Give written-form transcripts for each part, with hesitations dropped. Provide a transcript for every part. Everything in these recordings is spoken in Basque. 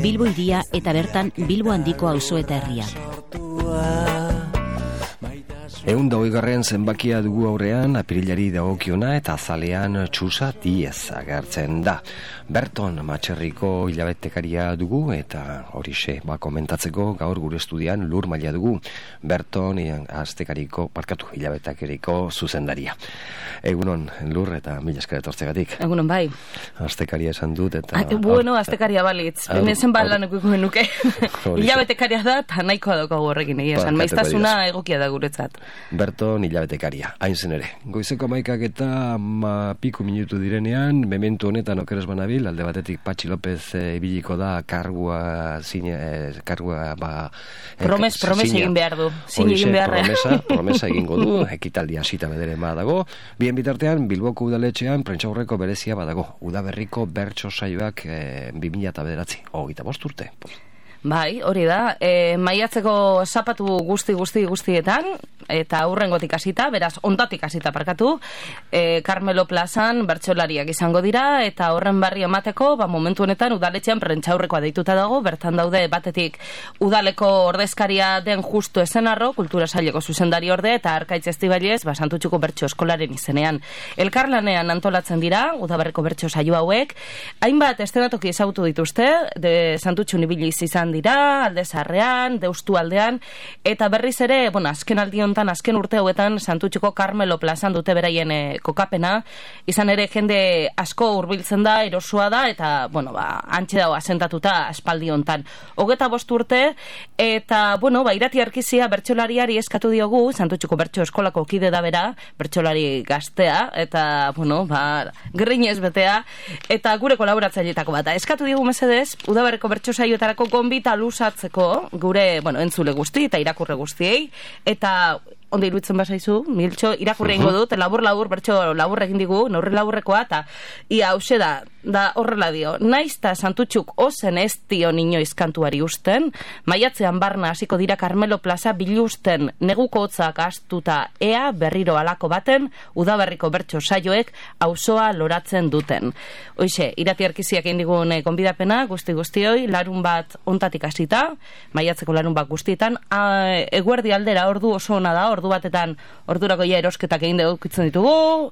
Bilbo hiria eta bertan Bilbo handiko auzo eta herria. 120. zenbakia dugu aurrean, apirilari dagokiona eta azalean Txusa Diez agertzen da. Berton Matxerriko hilabetekaria dugu eta horixe komentatzeko gaur gure estudian Lur Maila dugu. Berton hilabetekariko zuzendaria. Egunon Lur eta mila esker etortzegatik. Egunon bai. Astekaria esan dut eta... Bueno, astekaria balitz. Benezen balan ekuko nuke. Hilabetekaria da eta nahikoa daukagu horrekin egia esan. Maiztasuna egokia da guretzat. Berton hilabetekaria, hain zen ere. Goizeko 11 eta piku minutu direnean, mementu honetan okeres banabil, alde batetik Patxi López ibiliko da kargua promesa egin behar du. Promesa egingo du, ekitaldia hasita bedere badago. Bien bitartean, Bilboko udaletxean prentsaurreko berezia badago. Udaberriko bertso saioak 2009, 25 urte. Bai, hori da. Maiatzeko zapatu guztietan, eta aurrengotik hasita, beraz, ondatik hasita parkatu, Carmelo Plazan bertsolariak izango dira, eta horren barri emateko, momentu honetan udaletxean prentsaurrekoa deituta dago, bertan daude batetik udaleko ordezkaria den justu esenarro, kultura saileko zuzendari orde, eta Arkaitz Estibailez, Santutxuko bertso eskolaren izenean. Elkarlanean antolatzen dira, udaberriko bertso saio hauek, hainbat estenatoki ezagutu dituzte, Santutxun ibiliz izan dira, Alde Zaharrean, Deustu aldean, eta berriz ere, azken urte hauetan Santutxuko Carmelo Plazan dute beraien kokapena, izan ere jende asko hurbiltzen da, erosua da, eta, antxe dago asentatuta aspaldi hontan. 25 urte, eta, Irati Arkizia bertsolariari eskatu diogu, Santutxuko bertso eskolako kide da bera, bertsolari gaztea, eta, grinez betea, eta gure kolaboratzaileetako bat. Eskatu diogu mesedez, udaberriko bertso saioetarako gonbita luzatzeko, gure, entzule guzti eta irakurre guztiei, eta ondo iruditzen bazaizu, Miltxo, irakurre ingo dut, labur, bertso labur egin digu, neurri laburrekoa, eta ia hause da horrela dio, naizta Santutxuk ozen ez dio inoiz kantuari usten, maiatzean barna hasiko dira Carmelo Plaza bilusten neguko hotzak astuta ea berriro alako baten, udaberriko bertso saioek auzoa loratzen duten. Hoixe, Irati Arkiziak egin digun gonbidapena, guztioi, larun bat ontatik hasita, maiatzeko larun bat guztietan, eguerdi aldera ordu oso ona da, ordu batetan ordurako ja erosketak egin dukitzen ditugu,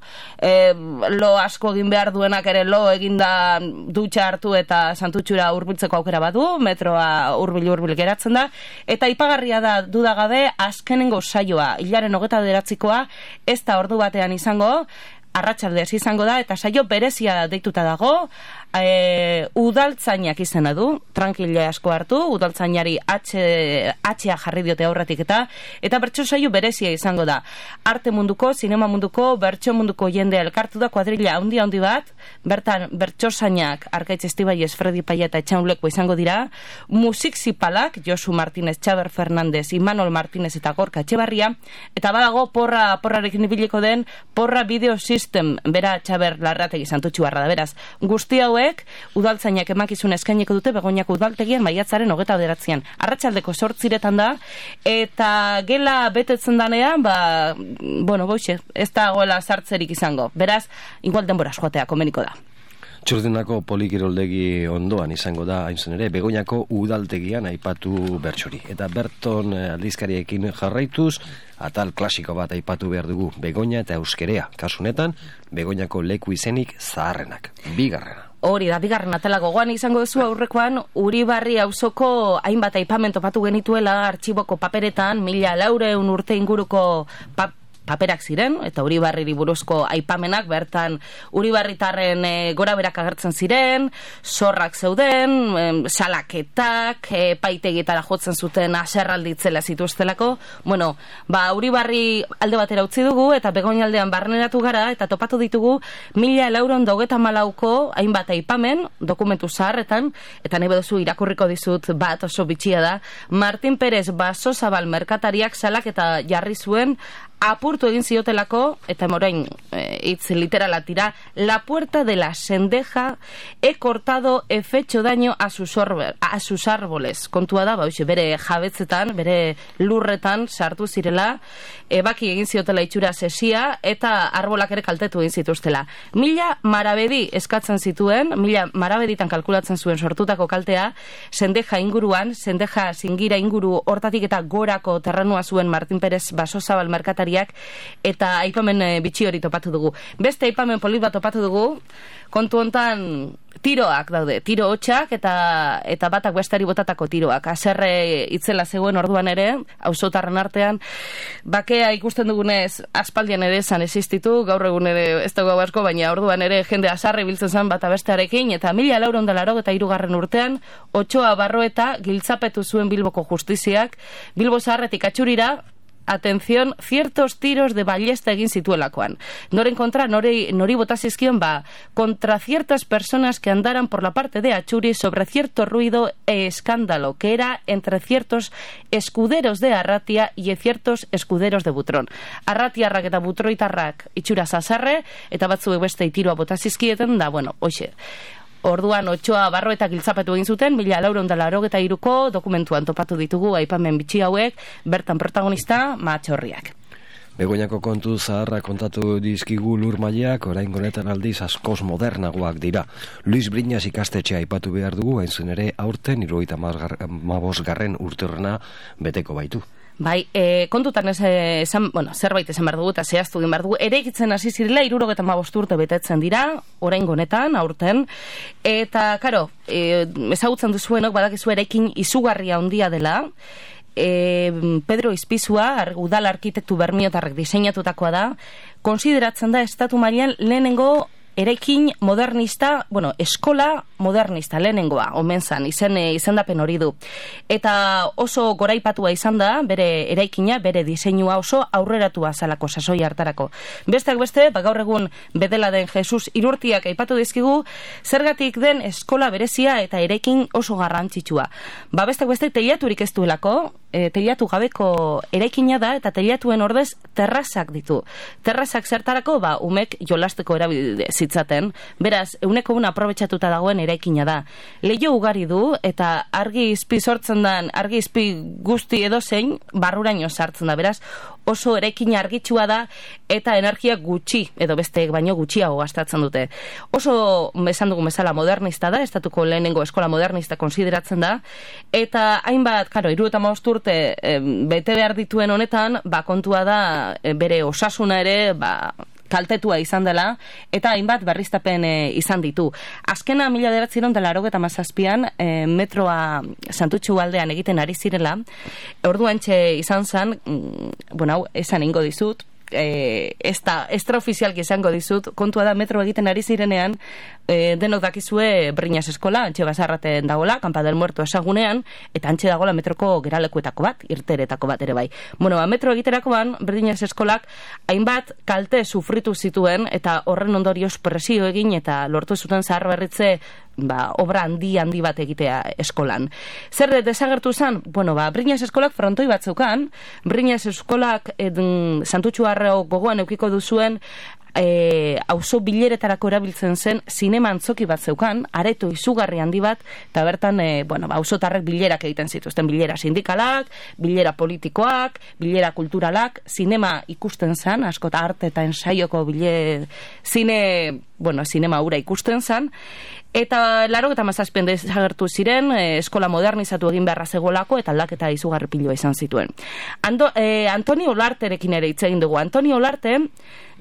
lo asko egin behar duenak ere lo egin da dutxa hartu eta Santutxura hurbiltzeko aukera badu, metroa hurbil geratzen da, eta ipagarria da dudagabe azkenengo saioa, hilaren 29koa, ez da ordu batean izango, arratsaldez izango da, eta saio berezia deituta dago, udaltzainak izena du, tranquila asko hartu, udaltzainari atxea jarri diote aurretik eta bertso saio berezia izango da. Arte munduko, sinema munduko, bertso munduko jendea elkartu da, kuadrilla handi bat, bertan bertsozainak Arkaitz Estibailez, Fredi Paia eta Etxaunleko izango dira, musik zipalak, Josu Martínez, Txaber Fernandez, Imanol Martínez eta Gorka Etxebarria, eta badago porrarekin ibiliko den, porra video system, bera Txaber Larrategi Santutxuarra da, beraz, guzti hauek udaltzainak emakizun eskainiko dute Begoñako udaltegian maiatzaren 29an. Arratsaldeko 8 da, eta gela betetzen danean, ez da goela sartzerik izango. Beraz, igual denbora joatea komeniko da. Txurdinako polikiroldegi ondoan izango da, hain zen ere, Begoñako udaltegian aipatu bertsori. Eta Berton aldizkariekin jarraituz, atal klasiko bat aipatu behar dugu, Begoña eta euskerea. Kasunetan, Begoñako leku izenik zaharrenak. Bigarrena. Hori da, bigarren atala gogoan izango duzu aurrekoan, Uribarri auzoko hainbat aipamen topatu genituela artxiboko paperetan, 1400 urte inguruko paperak ziren, eta Uribarriri buruzko aipamenak, bertan Uribarritarren gora berak agertzen ziren, zorrak zeuden, salaketak, paitegitara jotzen zuten aserralditzela zituztelako. Uribarri alde batera utzi dugu, eta Begoña aldean barneratu gara, eta topatu ditugu 1494ko hainbat aipamen, dokumentu zaharretan, eta nahi baduzu irakurriko dizut bat oso bitxia da, Martin Perez Basozabal merkatariak salaketa jarri zuen apurtu egin ziotelako, eta morain hitz literala tira, la puerta de la sendeja he cortado, he fecho daño a sus árboles. Kontua da, bere jabetzetan, bere lurretan sartu zirela, baki egin ziotela itxura sesia, eta arbolak ere kaltetu egin zituztela. 1000 marabedi eskatzen zituen, 1000 marabeditan kalkulatzen zuen sortutako kaltea, sendeja inguruan, sendeja zingira inguru hortatik eta gorako terrenua zuen Martin Perez Basozabal merkatariak, eta aipamen bitxi hori topatu dugu. Beste aipamen polit bat topatu dugu, kontu hontan tiroak daude, tiro hotxak eta batak bestari botatako tiroak. Haserre itzela zegoen orduan ere, auzotarren artean, bakea ikusten dugunez aspaldian ere esan existitu, gaur egun ere ez dago asko, baina orduan ere jende haserre biltzen zen bata bestearekin, eta 1483 urtean, Otxoa Barroeta giltzapetu zuen Bilboko justiziak, Bilbo Zaharretik Atxurira, atención, ciertos tiros de ballesta egin zituelakoan. Noren kontra, nori botazizkion, contra ciertas personas que andaran por la parte de Atxuri sobre cierto ruido e escándalo que era entre ciertos escuderos de Arratia y ciertos escuderos de Butrón. Arratiarrak eta Butroitarrak itxura zazarre, eta batzuek beste tiroa botazizkieten, da, bueno, hoxe. Orduan Otxoa Barroeta giltzapetu egin zuten, 1483ko dokumentuan topatu ditugu aipamen bitxi hauek, bertan protagonista Mahatxorriak. Begoñako kontu zaharra kontatu dizkigu Lurmaileak, orain honetan aldiz askoz modernagoak dira. Luis Briñas ikastetxea aipatu behar dugu, hain zen ere aurten 75. urteurrena beteko baitu. Bai, kontutan zerbait esan behar dugu eta zehaztu egin behar dugu. Eraikitzen hasi zirela 75 urte betetzen dira, orain honetan, aurten. Eta, karo, ezagutzen duzuenok badakizu eraikin izugarria handia dela. Pedro Izpizua, udal arkitektu bermiotarrek diseinatutakoa da, konsideratzen da estatu mailan lehenengo eraikin modernista, eskola modernista, lehenengoa, omen zan, izendapen hori du. Eta oso goraipatua izan da, bere eraikina, bere diseinua oso aurreratua zalako sasoi hartarako. Besteak beste, gaur egun bedela den Jesus Irurtiak aipatu dizkigu, zergatik den eskola berezia eta eraikin oso garrantzitsua. Besteak beste, teilaturik ez duelako, teilatu gabeko eraikina da, eta teilatuen ordez terrazak ditu. Terrazak zertarako, umek jolasteko erabili zitzaten, beraz, 100% aprobetxatuta dagoen eraikina da. Leiho ugari du, eta argi izpi sortzen dan, argi izpi guzti edozein, barruraino sartzen da, beraz, oso eraikina argitsua da, eta energia gutxi, edo besteek baino gutxiago gastatzen dute. Oso, esan dugu bezala modernista da, estatuko lehenengo eskola modernista konsideratzen da, eta hainbat, 75 urte bete behar dituen honetan, kontua da bere osasuna ere, kaltetua izan dela, eta hainbat berriztapen izan ditu. Azkena 1987an metroa Santutxu aldean egiten ari zirela, orduantxe izan zen, esan ingo dizut, extraofizialki izango dizut, kontua da metro egiten ari zirenean, denok dakizue Briñas eskola, antxe basarraten dagoela, Kampa del Muerto esagunean, eta antxe dagoela metroko geralekuetako bat, irteretako bat ere bai. Metro egiterakoan, Briñas eskolak hainbat kalte sufritu zituen, eta horren ondorioz presio egin, eta lortu zuten zahar berritze obra handi bat egitea eskolan. Zer desagertu zen? Briñas eskolak frontoi bat zeukan, Briñas eskolak Santutxu Arreo gogoan eukiko duzuen auzo bileretarako erabiltzen zen zinema antzoki bat zeukan, areto izugarri handi bat, eta bertan auzotarrek bilerak egiten zituzten, bilera sindikalak, bilera politikoak, bilera kulturalak, zinema ikusten zen, askota arte eta ensaioko zinema ura ikusten zen, eta 87an desagertu ziren, eskola modernizatu egin beharra zegolako, eta aldaketa izugarri piloa izan zituen. Antoni Olarterekin ere hitz egin dugu. Antoni Olarte,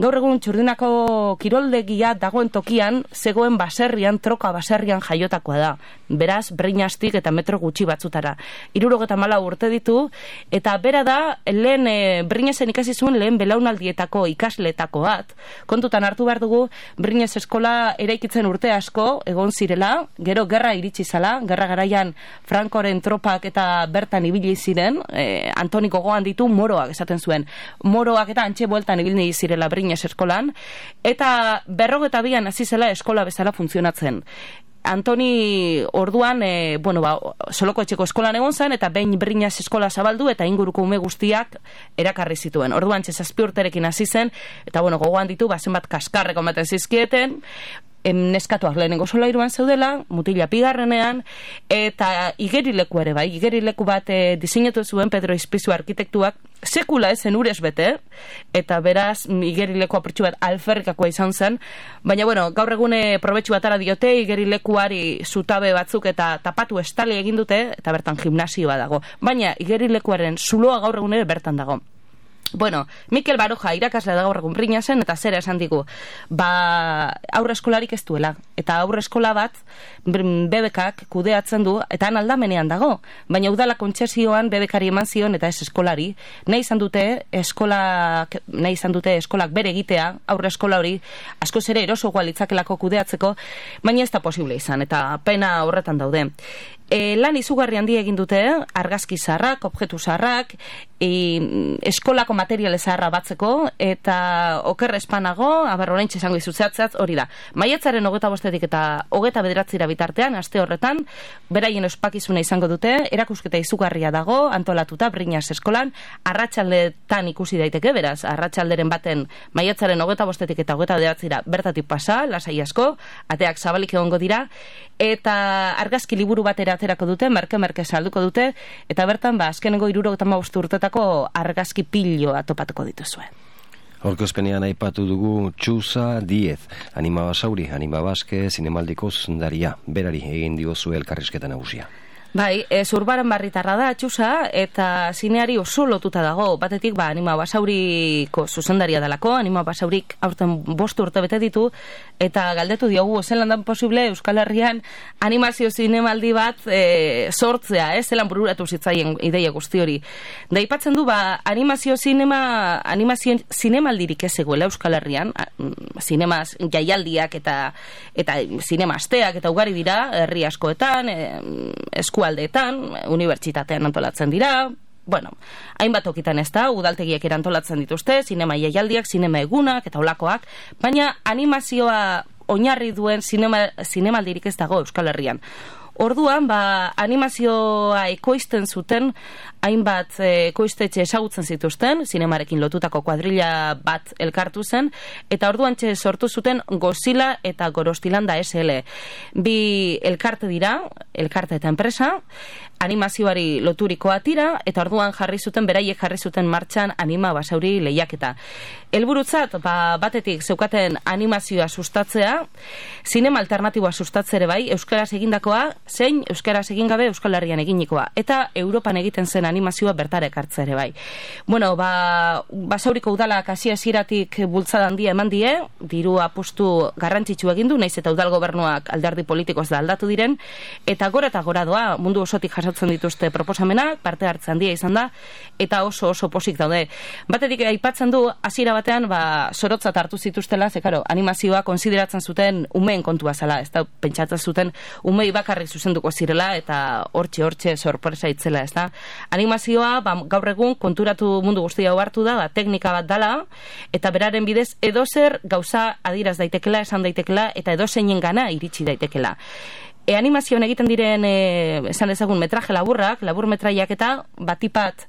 gaur egun Txurdinako kiroldegia dagoen tokian, zegoen baserrian, troka baserrian jaiotakoa da. Beraz, Briñastik eta metro gutxi batzutara. 74 urte ditu, eta bera da, lehen Briñasen ikasi zuen lehen belaunaldietako ikasletako bat. Kontutan hartu behar dugu, Briñas eskola eraikitzen urte asko, egon zirela, gero gerra iritsi zala, gerra garaian Frankoren tropak eta bertan ibili ziren, Antoni gogoan ditu moroak esaten zuen. Moroak eta antxe bueltan ibili zirela Briñas eskolan, eta 52an hasi zela eskola bezala funtzionatzen. Antoni orduan, Soloko etxeko eskolan egon zen, eta behin Briñas eskola zabaldu, eta inguruko ume guztiak erakarri zituen. Orduan, 7 urterekin hasi zen, eta gogoan ditu, zenbat kaskarreko ematen zizkieten, neskatuak lehenengo solairuan zeudela, mutila bigarrenean, eta igerileku ere bai, igerileku bat diseinatu zuen Pedro Ispizu arkitektuak, sekula ezen urez bete, eta beraz igerileku apurtxu bat alferrikakoa izan zen, baina gaur egune probetxu batara diote, igerilekuari zutabe batzuk eta tapatu estali egin dute, eta bertan gimnasioa dago, baina igerilekuaren zuloa gaur egune bertan dago. Mikel Baroja irakaslea da gaur egun Briñasen, eta zera esan digu, aurre eskolarik ez duela, eta aurre eskola bat BBKak kudeatzen du, eta han aldamenean dago, baina udala kontzesioan BBKari eman zion, eta ez eskolari, nahi izan dute eskolak bere egitea, aurre eskola hori, askoz ere erosoagoa litzakelako kudeatzeko, baina ez da posible izan, eta pena horretan daude. Lan izugarri handi egin dute, argazki zaharrak, objektu zaharrak, eskolako materiale zaharra batzeko, eta oker espanago, oraintxe esango izutzeatzat, hori da. Maiatzaren 25 eta 29 bitartean, aste horretan, beraien ospakizuna izango dute, erakusketa izugarria dago, antolatuta Briñas eskolan, arratsaldetan ikusi daiteke, beraz, arratsalderen baten maiatzaren 25 eta 29 bertatik pasa, lasai asko, ateak zabalik egongo dira, eta argazki liburu batera aterako dute, merke salduko dute, eta bertan, azkenengo 75 urtetako argazki piloa topatuko dituzue. Aurkezpenean aipatu dugu Txusa Diez, Anima Basauri, Anima Baske, zinemaldiko zuzendaria, berari egin diozue elkarrizketa nagusia. Bai, Zurbaran barritarra da, Txusa, eta zineari oso lotuta dago. Batetik, Anima Basauriko zuzendaria dalako, Anima Basaurik aurten 5 urte bete ditu, eta galdetu diogu, zelan da posible Euskal Herrian animazio zinemaldi bat sortzea, zelan bururatu zitzaien ideia guzti hori. Da ipatzen du, animazio zinemaldirik ez egoela Euskal Herrian, zinemaz jaialdiak eta zinema asteak eta ugari dira, herri askoetan, eskualdeetan, unibertsitatean antolatzen dira, hainbat okitan ez da, udaltegiek erantolatzen dituzte, zinema jaialdiak, zinema egunak eta olakoak, baina animazioa oinarri duen zinemaldirik ez dago Euskal Herrian. Orduan, animazioa ekoizten zuten, hainbat ekoiztetxe ezagutzen zituzten, zinemarekin lotutako kuadrilla bat elkartu zen, eta orduan sortu zuten Godzilla eta Gorostilanda SL. Bi elkarte dira, elkarte eta enpresa, animazioari loturikoa tira, eta orduan beraiek jarri zuten martxan Anima Basauri lehiaketa. Helburutzat, batetik zeukaten animazioa sustatzea, zinema alternatiboa sustatzere bai, euskaraz egindakoa, zein euskaraz egin gabe Euskal Herrian eginikoa, eta Europan egiten zen animazioa bertara ekartzea ere bai. Basauriko udalak hasieratik bultzada handia eman die, diru apustu garrantzitsu egin du, naiz eta udal gobernuak alderdi politikoz da aldatu diren, eta gora doa, mundu osotik jasotzen dituzte proposamenak, parte hartze handia izan da, eta oso posik daude. Batetik aipatzen du, hasiera batean, zorotzat hartu zituztela, animazioa konsideratzen zuten umeen kontua zela, ez da, pentsatzen zuten umei bakarrik zuzenduko zirela, eta hortxe sorpresa itzela, ez da. Animazioa, gaur egun, konturatu mundu guztia hartu da, teknika bat dala, eta beraren bidez, edozer gauza adiraz daitekela, esan daitekela, eta edozeinen gana iritsi daitekela. Animazioan egiten diren, esan dezagun, metraje labur metraiak eta batipat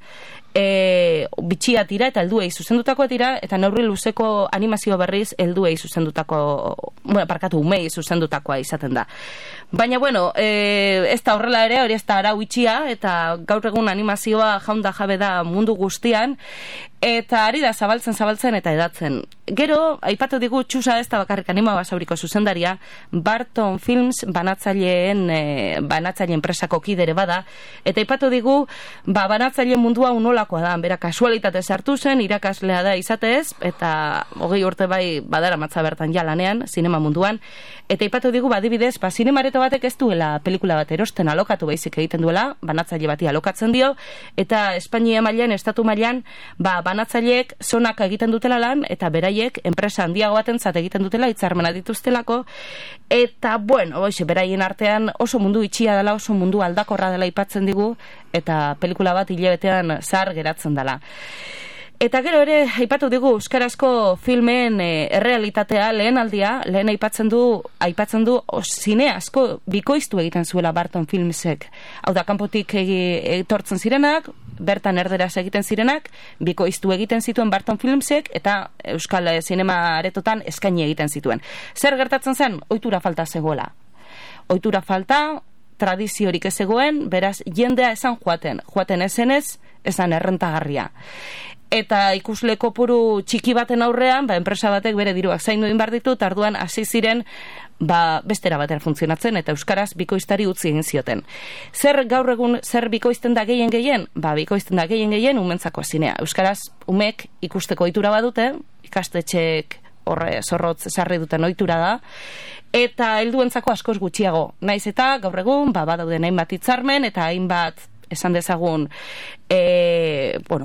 bitxia dira eta helduei zuzendutakoa dira, eta neurri luzeko animazio berriz umei zuzendutakoa izaten da. Baina, ez da horrela ere, hori ez da arau itxia, eta gaur egun animazioa jaunda jabe da mundu guztian, eta ari da zabaltzen eta edatzen. Gero, aipatu digu Txusa ez da bakarrik Anima Basauriko zuzendaria, Barton Films banatzaileen enpresako kidere bada, eta aipatu digu, banatzaileen mundua unolakoa da, bera kasualitate sartu zen, irakaslea da izatez, eta 20 urte bai badara matza bertan jalanean, zinema munduan, eta aipatu digu, adibidez, zinemareto batek ez duela pelikula bat erosten alokatu baizik egiten duela, banatzaile bati alokatzen dio, eta Espainia mailan, estatu mailan, banatzaileek zonak egiten dutela lan, eta beraiek enpresa handiago batentzat egiten dutela, hitzarmena dituztelako, eta, beraien artean oso mundu itxia dela, oso mundu aldakorra dela aipatzen digu, eta pelikula bat hilabetean zahar geratzen dela. Eta gero ere, aipatu digu euskarazko filmen errealitatea lehen aipatzen du zine asko bikoiztu egiten zuela Barton Filmsek. Hau da, kanpotik etortzen zirenak, bertan erderaz egiten zirenak, bikoiztu egiten zituen Barton Filmsek, eta euskal zinema aretotan eskaini egiten zituen. Zer gertatzen zen? Ohitura falta zegoela. Ohitura falta, tradiziorik ez zegoen, beraz, jendea esan joaten ezenez, esan errentagarria. Eta ikusle kopuru txiki baten aurrean, enpresa batek bere diruak zaindu egin behar ditu, tarduan hasi ziren bestera batera funtzionatzen, eta euskaraz bikoiztari utzi egin zioten. Zer gaur egun, zer bikoizten da gehien? Bikoizten da gehien umentzako zinea. Euskaraz umek ikusteko ohitura badute, ikastetxeek zorrotz sarri duten ohitura da, eta helduentzako askoz gutxiago. Naiz eta gaur egun, badauden hainbat hitzarmen, eta hainbat esan dezagun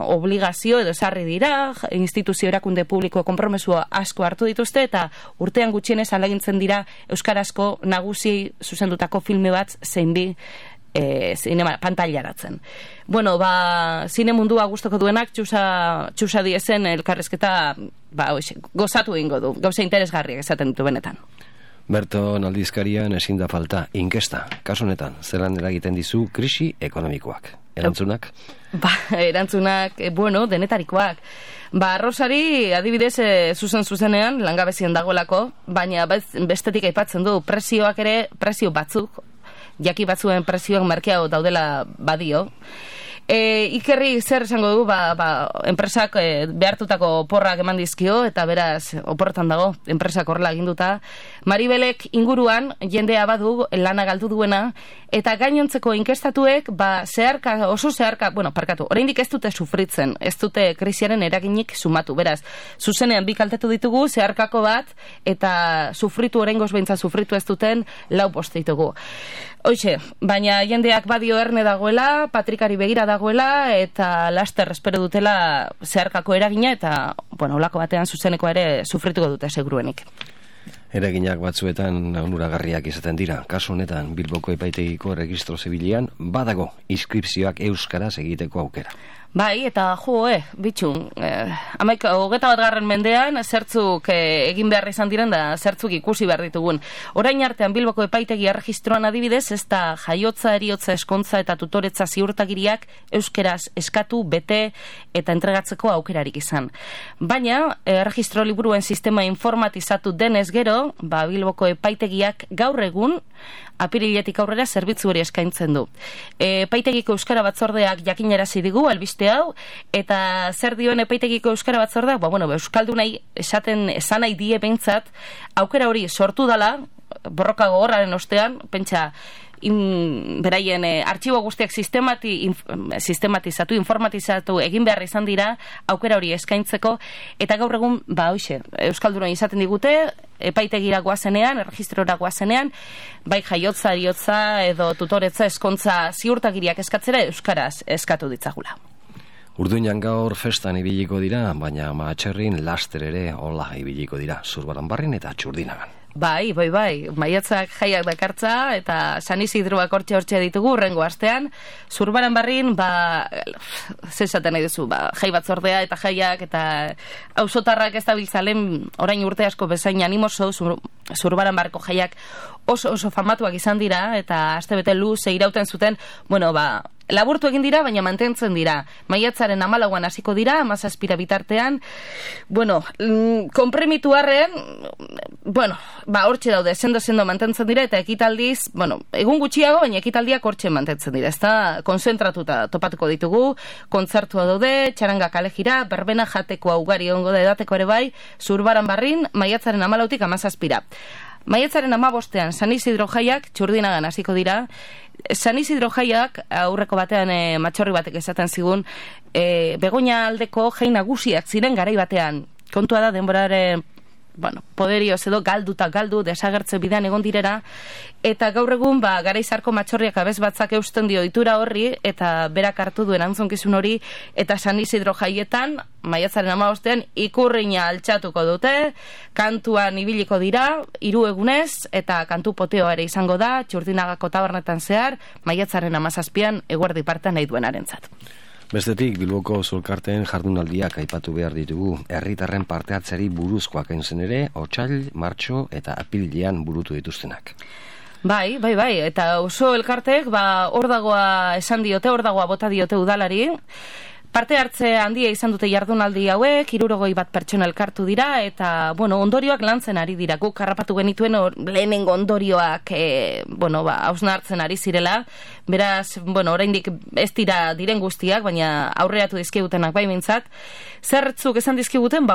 obligazio edo sarri dira, instituzio erakunde publiko konpromesua asko hartu dituzte, eta urtean gutxienez alagintzen dira euskarazko nagusi zuzendutako filme bat zein bi zinema pantailaratzen. Zine mundua gustoko duenak txusa diezen elkarrezketa gozatu egingo du, gauza interesgarriak esaten ditu benetan. Berton aldizkarian ezin da falta inkesta. Kasu honetan, zelan eragiten dizu krisi ekonomikoak? Erantzunak? Erantzunak, denetarikoak. Rosari, adibidez, zuzenean, langabezien dagoelako, baina bestetik aipatzen du, prezioak ere, prezio batzuk, jaki batzuen prezioak merkeago daudela badio. Ikerri zer esango du, enpresak behartutako oporrak eman dizkio, eta beraz, oporretan dago, enpresak horrela eginduta. Maribelek inguruan, jendea badu, lana galdu duena, eta gainontzeko inkestatuek, oso zeharka, oraindik ez dute sufritzen, ez dute krisiaren eraginik sumatu, beraz, zuzenean bi kaltetu ditugu, zeharkako bat, eta sufritu oraingoz behintzat sufritu ez duten, 4 post ditugu. Hoxe, baina jendeak badio erne dagoela, patrikari begira dagoela, eta laster espero dutela zeharkako eragina, eta, olako batean zuzeneko ere sufrituko dute seguruenik. Eraginak batzuetan onuragarriak izaten dira. Kasu honetan, Bilboko epaitegiko registro zibilian badago inskripzioak euskaraz egiteko aukera. Eta bitxu, 21. mendean zertzuk egin behar izan diren da zertzuk ikusi behar ditugun. Orain artean Bilboko epaitegi erregistroan adibidez, ez da jaiotza, eriotza, eskontza eta tutoretza ziurtagiriak euskeraz eskatu, bete eta entregatzeko aukerarik izan. Baina, erregistro liburuen sistema informatizatu denez gero, Bilboko epaitegiak gaur egun apiriletik aurrera zerbitzu hori eskaintzen du. Epaitegiko euskara batzordeak jakinarazi digu albiste hau, eta zer dioen epaitegiko euskara batzordeak? Euskaldunai esan nahi die behintzat, aukera hori sortu dala, borroka gogorraren ostean, pentsa, beraien artxibo guztiak sistematizatu, informatizatu egin behar izan dira, aukera hori eskaintzeko, eta gaur egun, euskaldunai izaten digute, epaitegira goazenean, erregistrora goazenean, bai jaiotza, eriotza edo tutoretza, eskontza ziurtagiriak eskatzera euskaraz eskatu ditzagula. Urduinan gaur festan ibiliko dira, baina Mahatxerrin laster ere hola ibiliko dira, Zurbaranbarrin eta Txurdinagan. Bai, maiatzak jaiak dakartza, eta San Isidroak hortxe ditugu, urrengo astean, Zurbaranbarrin, zesaten nahi duzu, jai batzordea eta jaiak, eta auzotarrak ez dabiltzalen, orain urte asko bezain animoso, Zurbaranbarko jaiak oso famatuak izan dira, eta astebete luze irauten zuten, laburtu egin dira, baina mantentzen dira. Maiatzaren 14an hasiko dira, 17 bitartean. Konpremitu arren, hortxe daude, sendo mantentzen dira, eta ekitaldiz, egun gutxiago, baina ekitaldiak hortxe mantentzen dira. Ez da, konzentratuta topatuko ditugu, kontzertua daude, txaranga kalejira, berbena jateko ugari ongo da edateko ere bai, Zurbaranbarrin, maiatzaren 14tik 17. Maiatzaren 15ean San Isidro jaiak Txurdinagan hasiko dira. San Isidro jaiak aurreko batean matxorri batek esaten zigun, Begoña aldeko jai nagusiak ziren garai batean. Kontua da denboraren poderioz edo galdu, desagertze bidean egon direra, eta gaur egun garaizarko matxorriak abez batzak eusten dio ohitura horri, eta berak hartu duen antzonkizun hori, eta San Isidro jaietan, maiatzaren 15ean, ikurrina altxatuko dute, kantuan ibiliko dira, 3 egunez, eta kantu poteo ere izango da, Txurdinagako tabernetan zehar, maiatzaren 17ean, eguerdi partean nahi duenarentzat. Bestetik, Bilboko Zulkarteen jardunaldiak aipatu behar ditugu. Herritarren parte hartzeari buruzkoak entzen ere, otsail, martxo eta apirilean burutu dituztenak. Bai, eta oso elkartek, hor dagoa esan diote, hor dagoa bota diote udalari. Parte hartze handia izan dute jardunaldi hauek, 61 pertsona elkartu dira, eta, ondorioak lantzen ari dira. Guk harrapatu genituen lehenengo ondorioak, hausnartzen ari zirela. Beraz, oraindik ez dira diren guztiak, baina aurreratu dizkigutenak bai mintzat. Zertzuk esan dizkiguten,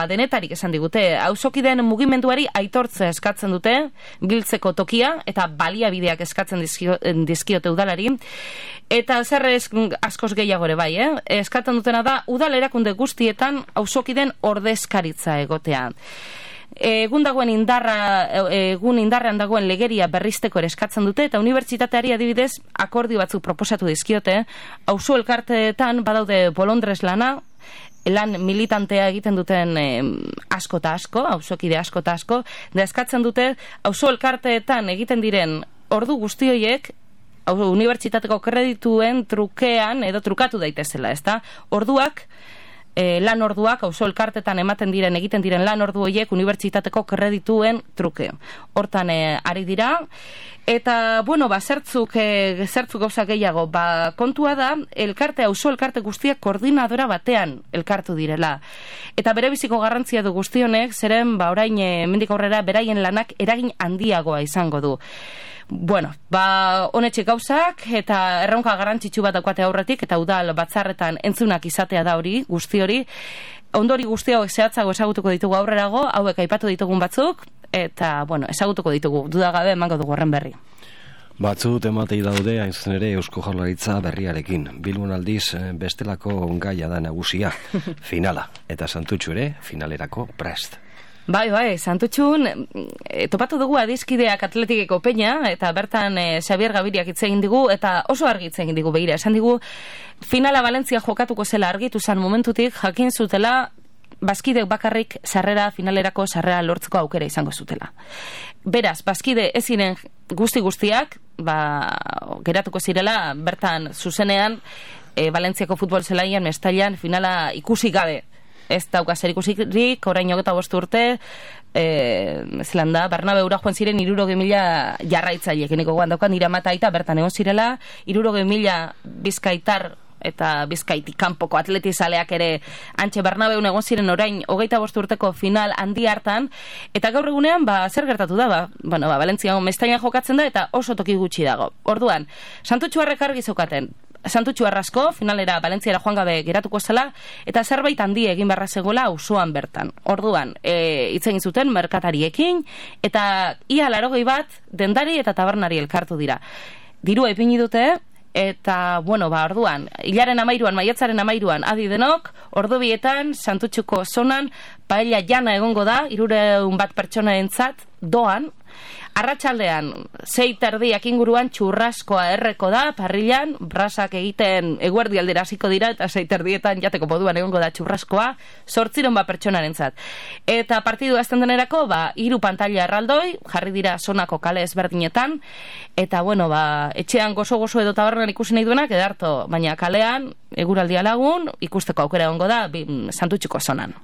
denetarik esan digute. Auzokideen mugimenduari aitortze eskatzen dute, biltzeko tokia, eta baliabideak eskatzen dizkiote udalari. Eta zer askoz gehiago ere bai, eskatzen dutena da, udal erakunde guztietan auzokideen ordezkaritza egotea. Egun indarrean dagoen legeria berrizteko ere eskatzen dute, eta unibertsitateari adibidez akordio batzuk proposatu dizkiote. Auzo elkarteetan badaude bolondrez lan militantea egiten duten asko eta asko, auzokide asko eta asko, da eskatzen dute auzo elkarteetan egiten diren ordu guzti horiek unibertsitateko kredituen trukean edo trukatu daitezela, ezta? Orduak, lan orduak, auzo elkartetan egiten diren lan ordu horiek unibertsitateko kredituen truke. Hortan ari dira, eta, zertzuk gauza gehiago, kontua da, auzo elkarte guztiak koordinadora batean elkartu direla. Eta bere biziko garrantzia du guztionek, zeren, orain, mendik aurrera, beraien lanak eragin handiagoa izango du. Honetxik gauzak, eta erronka garrantzitsu bat daukate aurretik, eta udal batzarretan entzunak izatea da hori, guzti hori. Ondori guzti hauek zehatzago ezagutuko ditugu aurrerago, hauek aipatu ditugun batzuk, eta, ezagutuko ditugu, dudagabe emango dugu horren berri. Batzut ematei daude, hain zuzen ere, Eusko Jaurlaritza berriarekin. Bilbon aldiz bestelako gaia da nagusia, finala, eta Santutxu ere, finalerako prest. Bai, Santutxun, topatu dugu adizkideak Atletikeko peña, eta bertan Xabier Gabiriak hitz egin digu, eta oso argi hitz egin digu begira. Esan digu, finala Valentzia jokatuko zela argitu zan momentutik, jakin zutela, bazkidek bakarrik finalerako sarrera lortzeko aukera izango zutela. Beraz, bazkide ez ziren guztiak, geratuko zirela, bertan zuzenean, Valentziako futbol zelaian, Mestailan, finala ikusi gabe. Ez dauka zer ikusirik, orain 25 urte, Bernabeura joan ziren 60.000 jarraitzaileek, eneko goan daukan iramata aita bertan egon zirela, 60.000 bizkaitar eta bizkaitik kanpoko atletizaleak ere antxe Bernabeun egon ziren orain 25 urteko final handi hartan, eta gaur egunean, zer gertatu da, Valentzian Mestailan jokatzen da, eta oso toki gutxi dago. Orduan, Santutxuarrek argi zeukaten, Santutxu arrasko, finalera Valentziara joan gabe geratuko zela, eta zerbait handi egin beharra zegoela auzoan bertan. Orduan, hitz egin zuten merkatariekin, eta ia 80 bat dendari eta tabernari elkartu dira. Dirua ipini dute, eta, orduan, hilaren 13, maiatzaren 13, adi denok, ordu bietan, Santutxuko zonan, paella jana egongo da, 300 bat pertsonaentzat, doan, arratsaldean 6:30 inguruan txurraskoa erreko da, parrilan, brasak egiten eguerdi aldera hasiko dira, eta 6:30 jateko moduan egongo da txurraskoa, 800 bat pertsonarentzat. Eta partidu azten denerako, 3 pantaila erraldoi, jarri dira zonako kale ezberdinetan, eta, etxean gozo edo tabernan ikusi nahi duenak, edarto, baina kalean, eguraldia lagun, ikusteko aukera egongo da, Santutxuko zonan.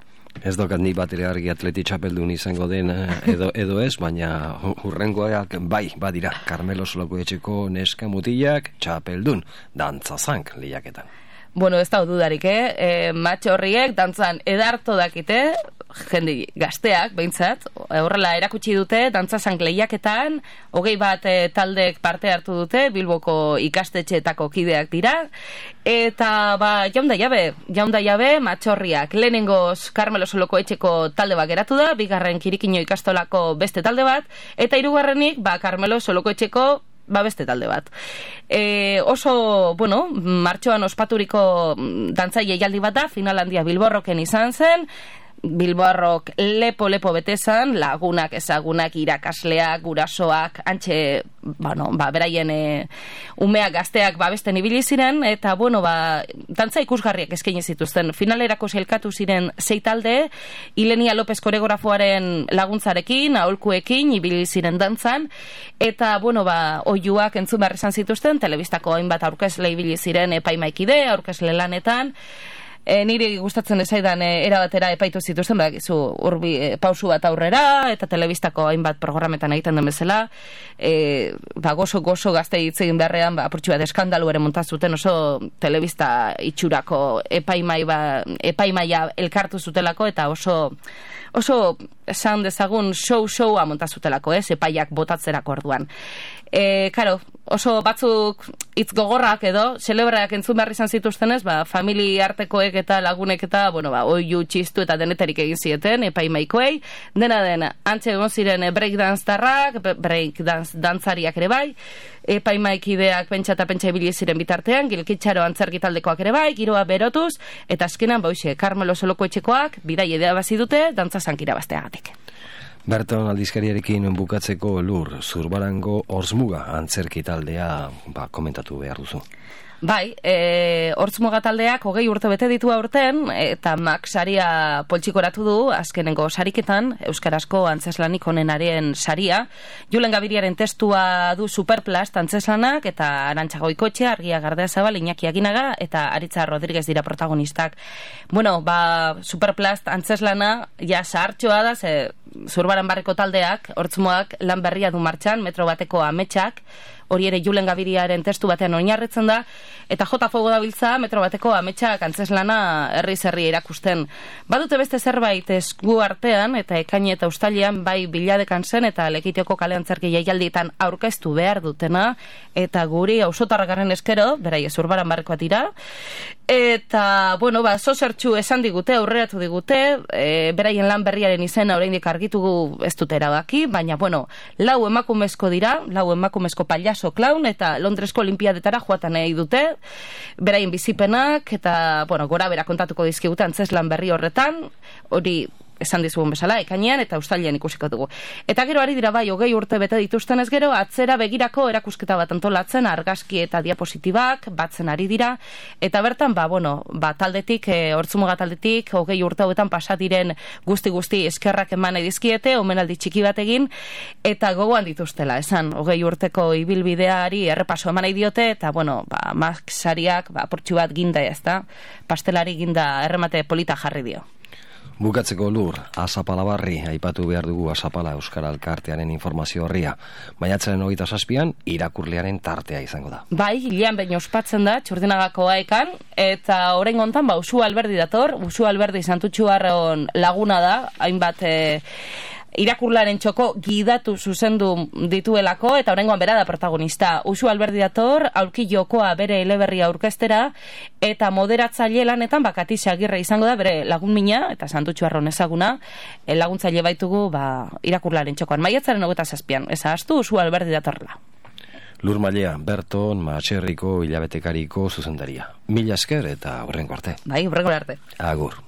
Ez dokat ni bat ere argi atleti txapeldun izango den edo ez, baina hurrengoak bai, badira, Karmelo Solokoetxeko neska mutilak txapeldun, dantzazank lehiaketan. Ez da dudarik, matxo horriek dantzan edarto dakite, jende gazteak, behintzat, horrela erakutsi dute, dantzazank lehiaketan, 20 bat taldek parte hartu dute, Bilboko ikastetxeetako kideak dira, eta jaunda jabe, matxorriak, lehenengoz Karmelo Solokoetxeko talde bat geratu da, bigarren Kirikino ikastolako beste talde bat, eta hirugarrenik Karmelo Solokoetxeko beste talde bat. Oso, martxoan ospaturiko dantzaile jaldi bat da, final handia Bilborroken izan zen, Bilboarrok lepo betezan, lagunak, ezagunak, irakasleak, gurasoak, antxe, beraien umeak, gazteak babesten ibili ziren, eta, dantza ikusgarriak eskaini zituzten. Finalerako sailkatu ziren 6 talde, Ilenia López koreografoaren laguntzarekin, aholkuekin, ibili ziren dantzan, eta, oiuak entzun behar izan zituzten, telebistako hainbat aurkezle ibili ziren epaimaikide, aurkezle lanetan, niri gustatzen ezaidan erabatera epaitu zituzten, urbi pausu bat aurrera, eta telebistako hainbat programetan egiten den bezala, gozo gazte hitz egin beharrean, apurtxu bat eskandalu ere montazuten, oso telebista itxurako epaimaia elkartu zutelako, eta oso esan dezagun showa montazutelako, epaiak botatzerako orduan. Oso batzuk hitz gogorrak edo, celebreak entzun behar izan zituztenez, famili artekoek eta lagunek eta, oiu txistu eta deneterik egin zieten, epaimaikoei, dena den, antxe egon ziren breakdance tarrak, breakdance dantzariak ere bai, epaimaikideak pentsa eta pentsa ibili ziren bitartean, Gilkitxaro antzerkitaldekoak ere bai, giroa berotuz, eta azkenan, Carmelo Solokoetxekoak, bidai idea bazi dute, dantza zankira bazteagatik. Berton aldizkariarekin bukatzeko Lur, Zurbarango Orzmuga antzerki taldea komentatu behar duzu. Bai, Hortzmuga taldeak 20 urte bete ditu aurten, eta Max saria poltsikoratu du, azkenengo sariketan, euskarazko antzeslanik onenaren saria. Julen Gabiriaren testua du Superplast antzeslanak, eta Arantxa Goikoetxea, Argia Gardeazabal, Iñaki Aginaga, eta Aritza Rodríguez dira protagonistak. Superplast antzeslana, zahartxoa da, Zurbaran barreko taldeak, Hortzmuak lan berria du martxan, metro bateko ametsak, hori ere Julen Gabiriaren testu batean oinarritzen da, eta J. Fogo dabiltza metro bateko ametsak antzeslana herri erakusten. Badute beste zerbait esku artean, eta ekaini eta ustailean bai biladekan zen, eta Lekitioko kale antzerki jaialdietan aurkeztu behar dutena, eta guri auzotarrakaren eskero, beraie Zurbaran barrekoa dira, eta, zozertxu esan digute, aurreratu digute, beraien lan berriaren izena oraindik argitugu ez dute erabaki, baina, 4 emakumezko dira, 4 emakumezko pailazo klaun, eta Londresko olimpiadetara joatan nahi dute, beraien bizipenak, eta, gora bera kontatuko dizkigute antzeslan berri horretan, hori esan dizugun bezala, ekainean eta ustailean ikusiko dugu. Eta gero ari dira 20 urte bete dituztenez gero, atzera begirako erakusketa bat antolatzen, argazki eta diapositibak batzen ari dira, eta bertan, taldetik, Hortzmuga taldetik, 20 urte hauetan pasadiren guzti eskerrak eman edizkiete, omenaldi txiki bat egin, eta gogoan dituztela, esan, 20 urteko ibilbideari errepaso eman nahi diote, eta, Maxariak, portxu bat ginda ezta, pastelari ginda erremate polita jarri dio. Bukatzeko Lur, Azapala barri, aipatu behar dugu Azapala Euskara Elkartearen informazio horria. Maiatzaren 27an irakurlearen tartea izango da. Bai, hilean behin ospatzen da, Txurdinagako aekan, eta orain gontan, Usu Alberdi dator, Usu Alberdi Santutxuarron laguna da, hainbat irakurlaren txoko gidatu zuzendu dituelako, eta oraingoan bera da protagonista. Usu Alberdi dator, aulki jokoa bere eleberria aurkeztera, eta moderatzaile lanetan Katixi Agirre izango da, bere lagun mina, eta Santutxuarron ezaguna, laguntzaile baitugu irakurlaren txokoan. Maiatzaren 27an, ez ahaztu, Usu Alberdi datorla. Lur Mailea, Berton, Matxerriko, hilabetekariko zuzendaria. Mila esker eta hurrengo arte. Bai, hurrengo arte. Agur.